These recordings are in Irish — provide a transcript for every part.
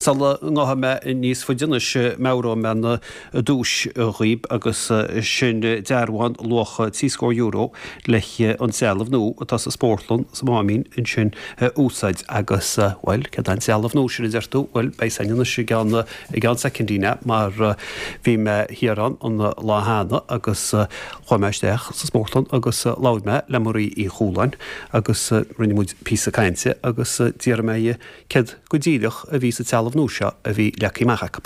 Sula ngabhfaidh mé níos faide anois, meabhróidh mé an duais dhaoib agus sin dearbhán luach 3 scór euro le an trealamh nua atá sa spórtlann sa Máimín ansin a úsáid agus, bhuel, céard é an trealamh nua sin a deir tú? Bhuel, beidh a fhios againn anois i gceann, i gceann soicindí mar bhí mé thiar ann an lá cheana agus chuaigh mé isteach sa spórtlann agus labhair mé le Marie Uí Chualáin agus rinne muid píosa cainte agus d'fhiafraigh mé dhi céard go díreach a bhí sa trealamh nua seo a bhí leagtha amach acu.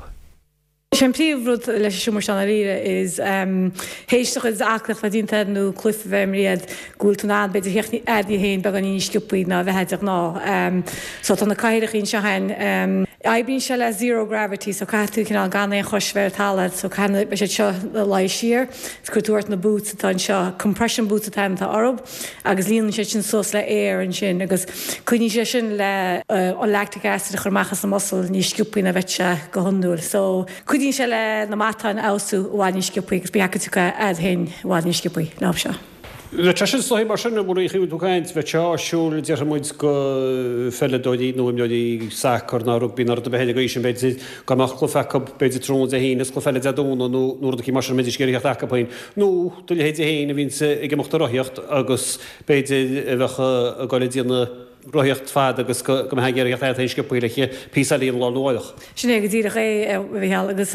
Is é an príomh rud leis an seomra seo ndáiríre is théis do chuid aclaíocht bheith déanta agat nó cluife bheith imrithe agat go bhfuil tú in ann b'fhéidir theacht a'd féin beagáinín níos sciobthaí ná a bheifeá de ghnáth. So tá na cathaoireachaí anseo a'inn. Oibríonn sé le zero gravity so caithfidh tú cineál gan aon chois bheith ar talamh so caithfidh beidh siad seo ina luí siar is cuirfidh tú ort na boots atá anseo compression boots atá atá orthu. agus líonann siad sin suas le aer ansin agus cuidíonn sé sin le an lactic acid a chur amach as an muscle níos sciobthaí ná bheadh sé go hiondúil. So cuidíonn sé le na matáin a fheabhsú i bhfad níos sciobthaí agus beidh tú a'd féin i bhfad níos sciobthaí leo seo. Bheadh sé sin is dóigh mar sin, a Mharie, bhí tú ag caint, bheadh sé áisiúil, déarfaidh muid, go pheileadóirí nó imreoirí sacair ná rugbaí ná rud ar bith eile gaois sin, b'fhéidir, go mbeadh cluiche acu, b'fhéidir tráthnóna Dé hAoine is cluiche eile Dé Domhnaigh nó nó rud eicínt mar sin a mbeidís ag iarraidh theacht acu féin. Nó do leithéidí féin a bhíonns ag imeacht ag rothaíocht agus b'fhéidir a bheadh ag goil ag déanamh rothaíocht fada agus go mbeifeá ag iarraidh theacht a'd féin sciobthaí le píosa eile a dhéanamh lá arna mhárach. Sin é go díreach é, a Mhícheáil, agus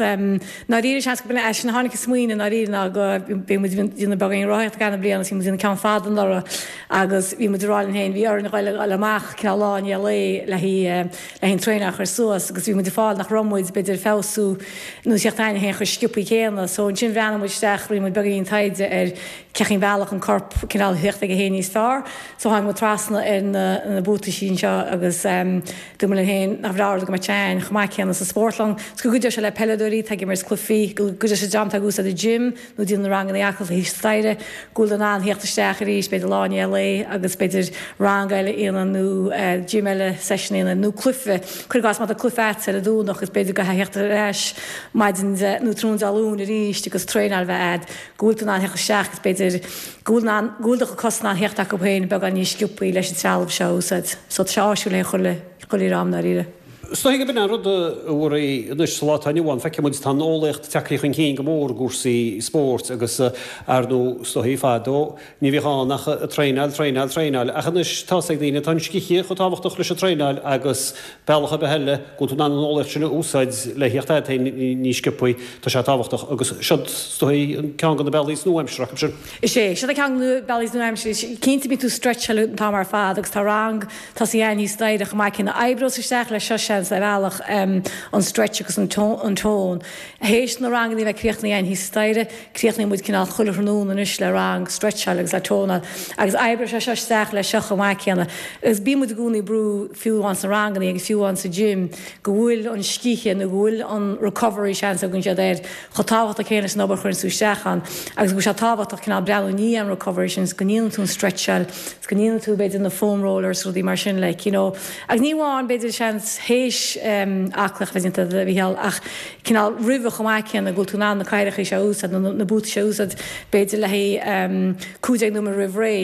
ndáiríre seans go b'in é sin a tháinig an smaoineamh ndáiríre ná go bhí muid ag déanamh beagáinín rothaíocht ag an na bliana agus bhí muid ag déanamh ceann fada anuraidh agus bhí muid ag rá linn féin bhí orainn a ghoil amach cineál lá i ndiaidh lae le haghaidh le haghaidh an traenáil a chur suas agus bhí muid ag fáil nach raibh muid b'fhéidir ag feabhsú nó theacht a'ainn féin chomh sciobthaí céanna. So ansin bhreathnaigh muid isteach, rinne muid beagáinín taighde ar cén chaoi bealach an corp cineál theacht aige féin níos fearr. So tháinig muid trasna ar na na buataisí anseo agus dúirt muid linn féin nach bhreá rud go mbeadh sé a'ainn chomh maith céanna sa spórtlann. So go gcuideodh sé le peileadóirí atá ag imirt cluichí, go gcuideodh sé dream atá ag úsáid an gym, nó déanamh na ranganna aclaíochta thíos staighre, go bhfuil tú in ann theacht isteach arís, b'fhéidir lá i ndiaidh lae agus b'fhéidir rang eile a dhéanamh nó gym eile, session a dhéanamh nó cluiche, cuir i gcás má tá cluiche a'dsa ar an Domhnach agus b'fhéidir go gcaithfeá theacht ar ais maidin Dé nó tráthnóna Dé Luain arís agus traenáil bheith a'd, go bhfuil tú in ann theacht isteach agus b'fhéidir go bhfuil in ann, go bhfuil do chuid cos in ann theacht acu féin beagán níos sciobthaí leis an trealamh seo a úsáid. So tá sé áisiúil le chuile, chuile dhream ndáiríre. Is dóigh gurb in an rud a Mharie anois sa lá atá inniu ann, feiceann muid tá an eolaíocht tagtha chun cinn go mór i gcúrsaí spóirt agus ar ndóigh is dóigh fadó ní bhíodh ann ach traenáil, traenáil, traenáil ach anois tá's ag daoine tá an scíth chomh tábhachtach leis an traenáil agus bealach ar bith eile go bhfuil tú in ann an eolaíocht sin a úsáid le theacht a'd féin níos sciobthaí tá sé tábhachtach agus siod is dóigh an ceann de na bealaí is nua-aimseartha acu sin. Is é, siod é ceann de na bealaí is nua-aimseartha, cinnte bíonn tú stretcháil an t-am ar fad agus tá rang Tosaigh a'ainn thíos staighre chomh maith céanna. Oibreos isteach leis seo seans ar bhealach an stretch agus an tone. Théis na ranganna a bheith críochnaithe a'ainn thíos staighre, críochnaíonn muid cineál chuile thráthnóna anois le rang stretcháil agus le tónáil. Agus oibreoidh sé seo isteach leis seo chomh maith céanna. Agus bíonn muid i gcónaí ag brú fiú amháin sna ranganna agus fiú amháin sa gym go bhfuil an scíth nó go bhfuil an recovery seans a thugann siad air chomh tábhachtach céanna leis an obair a chuireann tú isteach ann agus go bhfuil sé tábhachtach cineál breathnú i ndiaidh an recovery sin is go ndéanann tú an stretcháil is go ndéanann tú b'fhéidir na foam rollers rudaí mar sin like you know agus ní amháin b'fhéidir seans théis aclaíocht a bheith déanta a Mhícheál ach cineál roimhe chomh maith céanna go bhfuil tú in ann na cathaoireacha seo a úsáid nó na buataisí seo a úsáid b'fhéidir le haghaidh 15 nóiméad roimh ré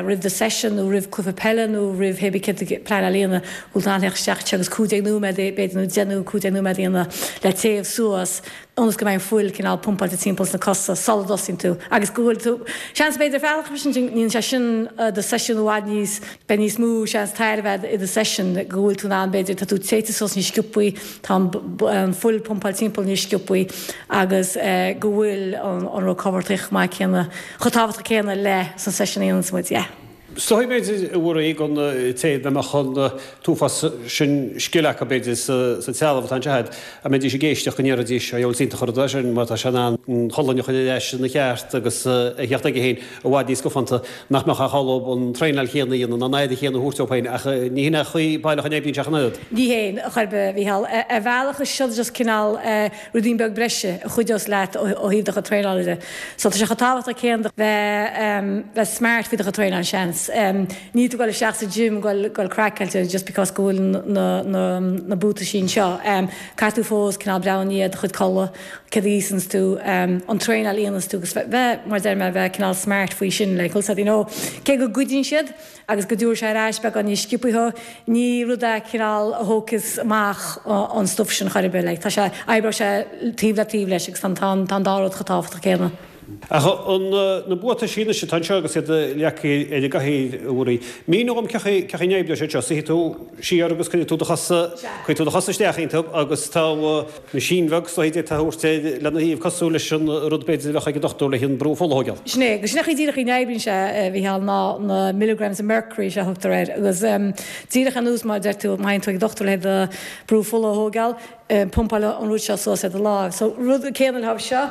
roimh do session nó roimh cluiche peile nó roimh hé bí céard a pleanáil a dhéanamh go bhfuil tú in ann theacht isteach anseo agus 15 nóiméad b'fhéidir nó 10 nó 15 nóiméad a dhéanamh le téamh suas ionas go mbeidh an fuil cineál pumpáilte timpeall sna cosa sula dtosaíonn tú agus go bhfuil tú, seans b'fhéidir ar bhealach sin ndéanann sé sin do seisiún i bhfad níos, beidh níos mó seans tairbhe agat i do seisiún go bhfuil tú in ann b'fhéidir tá tú téite suas níos sciobthaí, tá an fuil pumpáilte timpeall níos sciobthaí agus go bhfuil an recovery chomh maith céanna, chomh tábhachtach céanna le san seisiún a dhéananns muid, yeah. Is dóigh, b'fhéidir, a Mharie, don té dá mbeadh an t-uafás sin scil acu, b'fhéidir, sa trealamh atá anseo agat, a mbeidís ag éisteacht go ndéarfaidís, 'Ó, is iontach an rud é sin, mar tá sé in ann an cholainn a chur ar ais ina cheart agus a theacht aige féin i bhfad níos scafánta, nach mbeadh ach orthu an traenáil chéanna a dhéanamh ná an aire chéanna a thabhairt dóibh féin. Ach ní hin é an chaoi baileach a n-oibríonn sé ach an oiread. Ní hé, chor ar bith, a Mhícheál. Ar bhealach is seo just cineál ruidín beag breise a chuideos leat ó thaobh do chuid traenála de. So tá sé chomh tábhachtach céanna bheith bheith smart faoi do chuid traenáil, seans. seans. Níl tú ag dul isteach sa gym ag dul craiceáilte just because go bhfuil na na na buataisí anseo. Caithfidh tú fós cineál breathnú i ndiaidh do chuid codladh, céard a íosanns tú, an traenáil a dhéananns tú agus bheith, mar a deir mé, bheith cineál smart faoi sin like, bhfuil 's a'd, you know. Cé go gcuidíonn siad agus go dtabharfaidh sé ar ais beagán níos sciobthaí thú, ní rud é cineál a thógfas amach an stuif sin chor ar bith like. Tá sé, oibreoidh sé taobh le taobh leis agus tá an tá an dá rud chomh tábhachtach céanna. Ach an na buataisí anois atá anseo agus iad leagtha ar an gcathaoir, a Mhuirí, mínigh dhom cén chaoi cén chaoi a n-oibreoidh siad seo. Suífidh tú siar agus cuirfidh tú do chosa, cuirfidh tú do chosa isteach iontu agus tá meaisín bheag is dóigh d'fhéadfá a thabhairt air lena thaobh cosúil leis an rud b'fhéidir a bheadh ag an dochtúir le an brú fola a thógáil. Sin é, agus sin é an chaoi díreach a n-oibríonn sé, a Mhícheáil, ná na milligrams of mercury is ea a thugtar air agus díreach ar nós mar a deir tú, má théann tú ag an dochtúir le do brú fola a thógáil, pumpáil an rud seo suas ar do láimh. So, rud céanna le seo,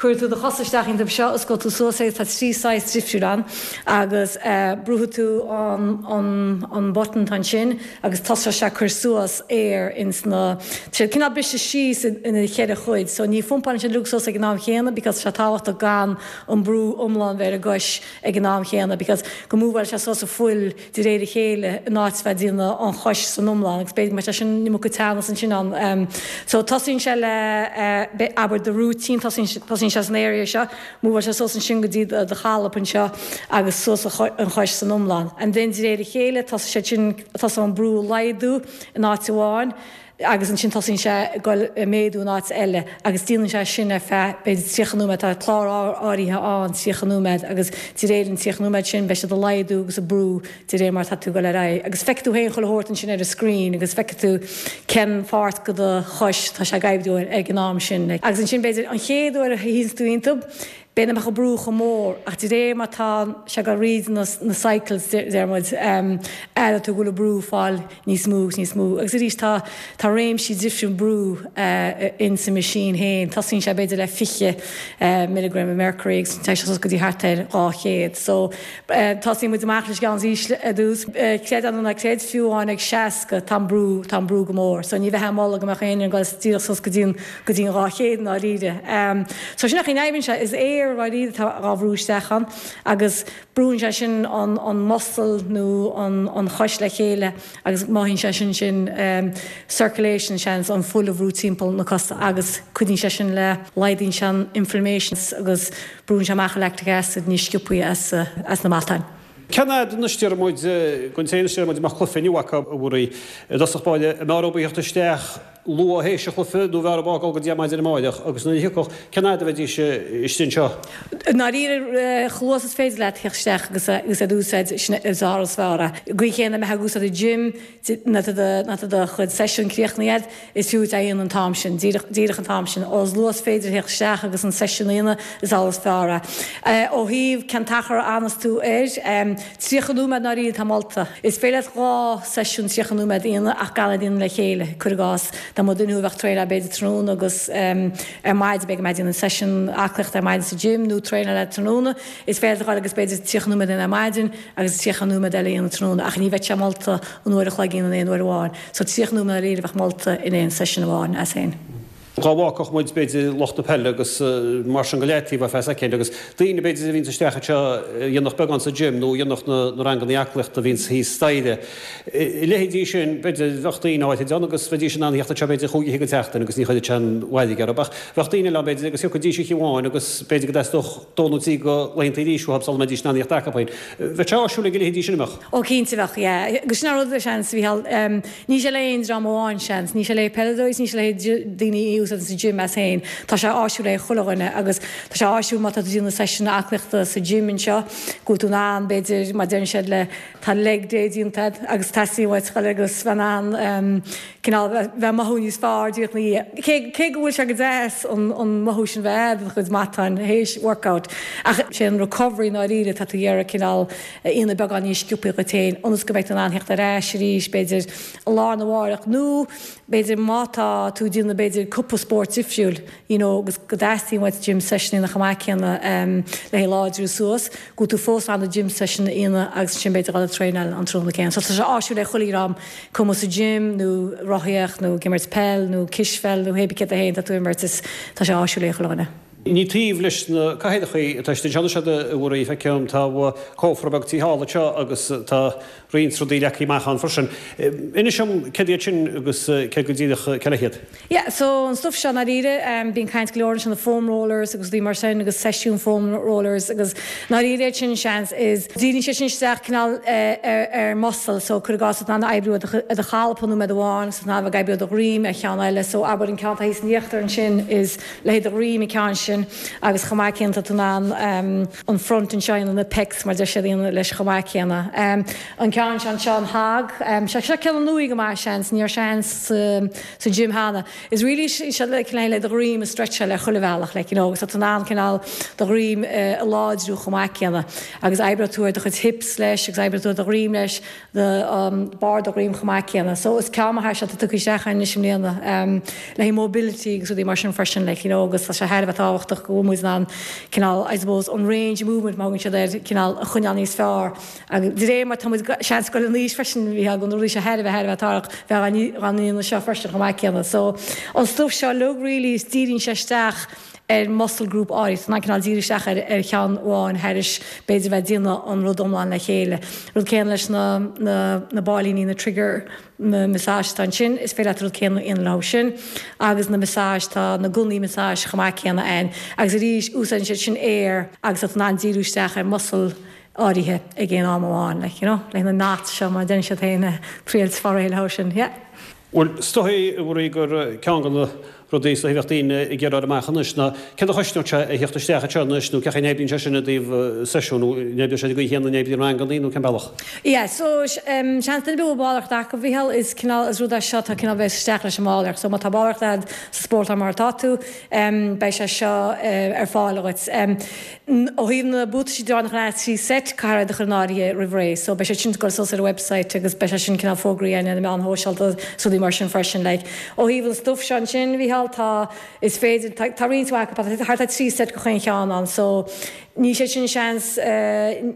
cuirfidh tú do chosa isteach iontu seo, osclóidh tú suas é, tá 3 saghas difriúil ann, agus brúfaidh tú an, an, an button atá ansin agus tosóidh sé ag cur suas aer ins na, tá siad cineál briste síos ina cheithre chuid, so ní phumpálann siad uilig suas ag an am chéanna because tá sé tábhachtach gan an brú iomlán bheith ar an gcois ag an am chéanna because go múbháil sé suas an fuil de réir a chéile in áit bheith ag déanamh an chois san iomlán agus b'fhéidir go mbeadh sé sin an iomarca teannas ansin ann. So tosaíonn sé le abair do rúitín, tosaíonn sé san area seo, múbháil sé suas ansin go dtí do chalp anseo agus suas an chois san iomlán. And then de réir a chéile tosaíonn sé sin, tosaíonn an brú a laghdú in áit amháin, agus ansin tosaíonn sé ag dul ag méadú in áit eile agus déanann sé sin ar feadh b'fhéidir 30 nóiméad, tá clár áirithe ann 30 nóiméad agus de réir an 30 nóiméad sin beidh siad ag laghdú agus ag brú de réir mar atá tú ag dul ar aghaidh agus feicfidh tú féin chuile shórt ansin ar an screen agus feicfidh tú cén pháirt de do chois atá sé ag oibriú air ag an am sin. Agus ansin b'fhéidir an chéad uair a shuíonns tú iontu B'fhéidir nach mbeadh an brú chomh mór, ach de réir mar tá sé ag dul thríd na cycles, deir muid, aireoidh tú go bhfuil an brú ag fáil níos mó agus níos mó. Agus arís tá tá réimsí difriúil brú in sa machine féin. Tosaíonn sé b'fhéidir le 20 milligram of mercury agus téann sé suas go dtí thart ar 200. So tosaíonn muid amach leis an gceann is ísle ar dtús. Creid é nó ná creid, fiú amháin ag 60 tá an brú tá an brú go mór. So ní bheifeá ag moladh go mbeadh éinne ag dul díreach suas go dtí an go dtí an 200 i ndáiríre. So sin an chaoi a n-oibríonn sé, is aer dáiríre atá á bhrú isteach ann agus brúnn sé sin an an muscle nó an an chois le chéile agus mothaíonn sé sin sin circulation seans, an fuil a bhrú timpeall na cosa agus cuidíonn sé sin le, laghdaíonn sé an inflammation agus brúnn sé amach an lactic acid níos sciobthaí as as na matáin. Cén fhad anois deir muid, don té anois deir muid a mbeadh cluiche inniu acu a Mhuirí, i dtosach báire, an mbeadh orthu a theacht isteach luath théis an chluiche nó bheadh orthu a dhul go dtí ar maidin amáireach agus nuair a thiocfadh, cén fhad a bheidís istigh anseo? I ndáiríre, chomh luath is féidir leat theacht isteach agus iad a úsáid, sin is fearr is fearr é. An gcaoi chéanna, mbeifeá ag úsáid an gym, nuair atá do chuid seisiún críochnaithe agat, is fiú duit é a dhéanamh an t-am sin, díreach, díreach an t-am sin. Chomh luath is féidir theacht isteach agus an seisiún a dhéanamh, is amhlaidh is fearr é. Ó thaobh cén t-achar a fhanas tú air, 30 nóiméad i ndáiríre atá molta. Is féidir leat 2 seisiún 30 nóiméad a dhéanamh ach gan iad a dhéanamh le chéile. Cuir i gcás, dá mba duine thú a bheadh traenáil b'fhéidir tráthnóna agus ar maidin, b'fhéidir go mbeadh déanamh seisiún aclaíochta ar maidin sa gym nó traenáil tráthnóna, is féidir leat a dhul agus b'fhéidir 30 nóiméad a dhéanamh ar maidin agus 30 nóiméad eile a dhéanamh tráthnóna ach ní bheadh sé molta an uair a chloig a dhéanamh in aon uair amháin. So 30 nóiméad i ndáiríre a bheadh molta in aon seisiún amháin as féin. Dá bhfágfadh muid, b'fhéidir, lucht na peile agus mar sin go leataobh ar feadh soicind agus daoine, b'fhéidir, a bhíonns isteach anseo a dhéanfadh beagán sa gym nó a dhéanfadh na ranganna aclaíochta a bhíonns thíos staighre. A leithéidí sin, b'fhéidir, bheadh daoine áirid ann agus bheidís in ann a theacht anseo, b'fhéidir, chúig oíche den tseachtain agus ní chuirfeadh sé an mhairg orthu. Ach bheadh daoine eile ann, b'fhéidir, agus thiocfaidís oíche amháin agus b'fhéidir go dteastódh dó nó trí de laethanta arís uathu sula mbeidís in ann a theacht acu féin. Bheadh sé áisiúil ag a leithéidí sin, an mbeadh? Ó, cinnte bheadh, yeah. Agus sin an rud, seans, a Mhícheáil. Ní sé le aon dream amháin, seans. Ní sé le peileadóirí is ní sé le daoine a úsáideann sa gym as féin. Tá sé áisiúil le chuile dhuine agus tá sé áisiúil má tá tú ag déanamh seisiún aclaíochta sa gym anseo go bhfuil tú in ann, b'fhéidir, mar deireann siad le, tá leg day déanta agat agus teastaíonn uait dhul agus bheith in ann cineál bheith ag mothú níos fearr díreach ina dhiaidh. Cé, cé go bhfuil sé go deas an, an mothú sin bheith a'd i do chuid matáin théis workout ach sé an recovery i ndáiríre tá tú ag iarraidh cineál a dhéanamh beagán níos sciobthaí dhuit féin ionas go mbeidh tú in ann theacht ar ais arís, b'fhéidir, lá arna mháireach nó b'fhéidir má tá tú ag déanamh b'fhéidir cúpla spórt difriúil you know agus go dteastaíonn uait gym session a dhéanamh chomh maith céanna le haghaidh láidriú suas, go bhfuil tú fós in ann do gym session a dhéanamh agus ansin b'fhéidir dhul ag traenáil an tráthnóna céanna. So tá sé áisiúil le chuile dhream, cuma sa gym nó rothaíocht nó ag imirt peil nó cispheil nó hé bith céard é féin atá tú ag imirt is tá sé áisiúil le chuile dhuine. Ní taobh leis na cathaoireachaí atá siad anseo anois a Mhuirí, feicim tá cófra beag tí thall anseo agus tá roinnt rudaí leagtha amach ann freisin. Inis dom céard iad sin agus céard go díreach cé le hiad? Yeah, so an stuff seo ndáiríre, bíonn caint go leor ansin na foam rollers agus rudaí mar sin agus seisiún foam rollers agus ndáiríre iad sin seans is díríonn sé sin isteach cineál ar muscle so cuir i gcás tá tú in ann oibriú ar do cholpa nóiméad amháin agus tá tú in ann a bheith ag oibriú ar do dhroim ar cheann eile so abair an ceann atá thíos in íochtar ansin is le haghaidh do dhroim an ceann sin agus chomh maith céanna tá tú in ann an front anseo a dhéanamh, na pecs mar deir siad a dhéanamh leis chomh maith céanna. An ceann seo anseo an hog, seo seo ceann nua go maith seans, ní raibh sé ann sa gym cheana. Is really seo le cineál le do dhroim a stretcháil ar chuile bhealach like you know agus tá tú in ann cineál do dhroim a láidriú chomh maith céanna agus oibreoidh tú ar do chuid hips leis agus oibreoidh tú ar do dhroim leis do barr do dhroim chomh maith céanna. So is ceann maith é seo atá tugtha isteach againn anois i mbliana le haghaidh mobility agus rudaí mar sin freisin like you know agus tá sé thar a bheith tábhachtach go bhfuil muid in ann cineál I suppose an range of movement mar a thugann siad air cineál a choinneáil níos fearr agus de réir mar tá muid seans ag dul in aois freisin bhí na rudaí seo thar a bheith thar a bheith tábhachtach bheith á ndéanamh seo freisin chomh maith céanna. So an stuif seo uilig really is díríonn sé isteach ar muscle group áirithe, tá tú in ann cineál díriú isteach ar ar cheann amháin thairis b'fhéidir bheith ag déanamh an rud iomlán le chéile. Rud céanna leis na na na báilíní, na trigger na massage atá ansin, is féidir leat an rud céanna a dhéanamh leo sin agus na massage, tá na gunnaí massage chomh maith céanna ann agus arís úsáideann siad sin aer agus tá tú in ann díriú isteach ar muscle áirithe ag aon am amháin like you know le na knots seo mar a deireann siad féin triail is fáil réidh leo sin yeah. Bhuel, is dóigh, a Mhuirí, gur ceann de na rudaí is dóichí a bheadh daoine ag iarraidh a fháil amach anois ná céard a chosnódh sé a theacht isteach anseo anois nó cén chaoi a n-oibríonn sé sin i dtaobh seisiún nó an oibreoidh sé an gcaoi chéanna a n-oibríonn rangannaí nó cén bealach? Yeah, so seans duine ar bith a bhfuil ballraíocht acu, a Mhícheáil, is cineál, is rud é seo atá cineál bheas isteach leis an mballraíocht. So má tá ballraíocht agat sa spórtlann mar atá tú, beidh sé seo ar fáil dhuit. Ó thaobh na buataisí de nach leath 3 seit, caithfear iad a chur in áirithe roimh ré. So beidh siad sin ag dul suas ar an website agus beidh sé sin cineál fógraí againn ar na meáin shóisialta is rudaí mar sin freisin. Like, ó thaobh an stuif seo ansin, a Mhícheáil, tá, is féidir, tá, tá roinnt mhaith acu, tá thart ar 3 seit go chaon cheann ann. So níl sé sin seans,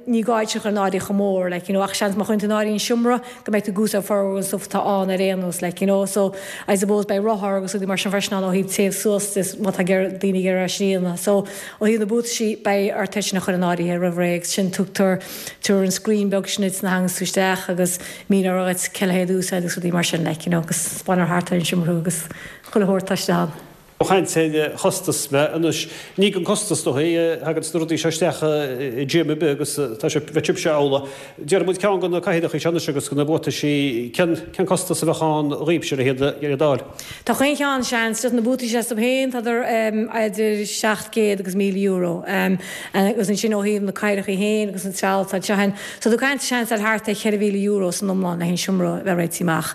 ní gá iad sin a chur in áirithe chomh mór, like, you know, ach seans má chuireann tú in áirithe an seomra, go mbeidh tú ag úsáid formhór an stuif atá ann ar aon nós, like, you know. So, I suppose beidh rothar agus rudaí mar sin freisin ann ó thaobh téamh suas de má tá daoine ag iarraidh é sin a dhéanamh. So, ó thaobh na buataisí, beidh ort é sin a chur in áirithe roimh ré agus sin tugtar tabharfar an screen beag sin duit nuair a thaganns tú isteach agus míneofar dhuit cé le haghaidh iad a úsáid agus rudaí mar sin, like, you know, agus 'spáinfear thart ar an seomra thú agus chuile shórt atá istigh ann. Ag caint ar chostas mé anois. Ní gan costas is dóichí a thaganns na rudaí seo isteach i gym ar bith agus tá sé, bheadh sibhse amhlaidh. Déarfaidh muid ceann de na cathaoireacha seo anois agus de na buataisí, cén, cén costas a bheadh ann dhaoibhse le hiad, le iad a fháil? Tá chaon cheann, seans, just na buataisí astu féin, tádar idir 700 agus €1,000. Agus ansin ó thaobh na cathaoireacha féin agus an trealamh atá anseo féin, so tá tú ag caint seans ar thart ar €4,000 san iomlán le haghaidh an seomra a bheith réitithe amach.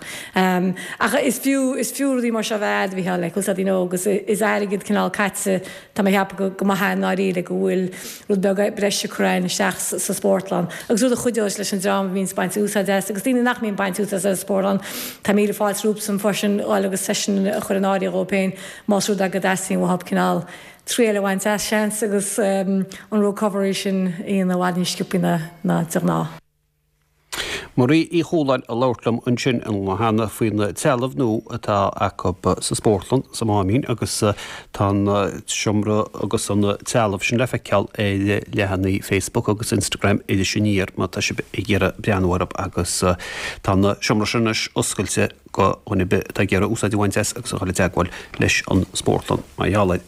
Ach is fiú, is fiú rudaí mar seo a bheith a'd, a Mhícheáil, like, bhfuil 's a'd, you know, agus is airgead cineál caite, Tá mé ag ceapadh go maith é i ndáiríre go bhfuil rud beag breise curtha againn isteach sa spórtlann agus rud a chuideoidh leis an dream a bhíonns ag baint úsáid as agus daoine nach mbíonn ag baint úsáid as an spórtlann. Tá míle fáilte rompu freisin dhul agus seisiún a chur in áirithe dhóibh féin más rud é go dteastaíonn uathu cineál triail a bhaint as, seans, agus an recovery sin a dhéanamh i bhfad níos sciobthaí ná de ghnáth. Marie Uí Chualáin ag labhairt liom ansin cheana faoin trealamh nua atá acu sa spórtlann sa Máimín agus tá an seomra agus an trealamh sin le feiceáil ar leathanaigh Facebook agus Instagram Iris Aniar má tá sibh ag iarraidh breathnú orthu agus tá an seomra sin anois oscailte go dhuine ar bith atá ag iarraidh úsáid a bhaint as agus a dhul i dteagmháil leis an spórtlann mar gheall air.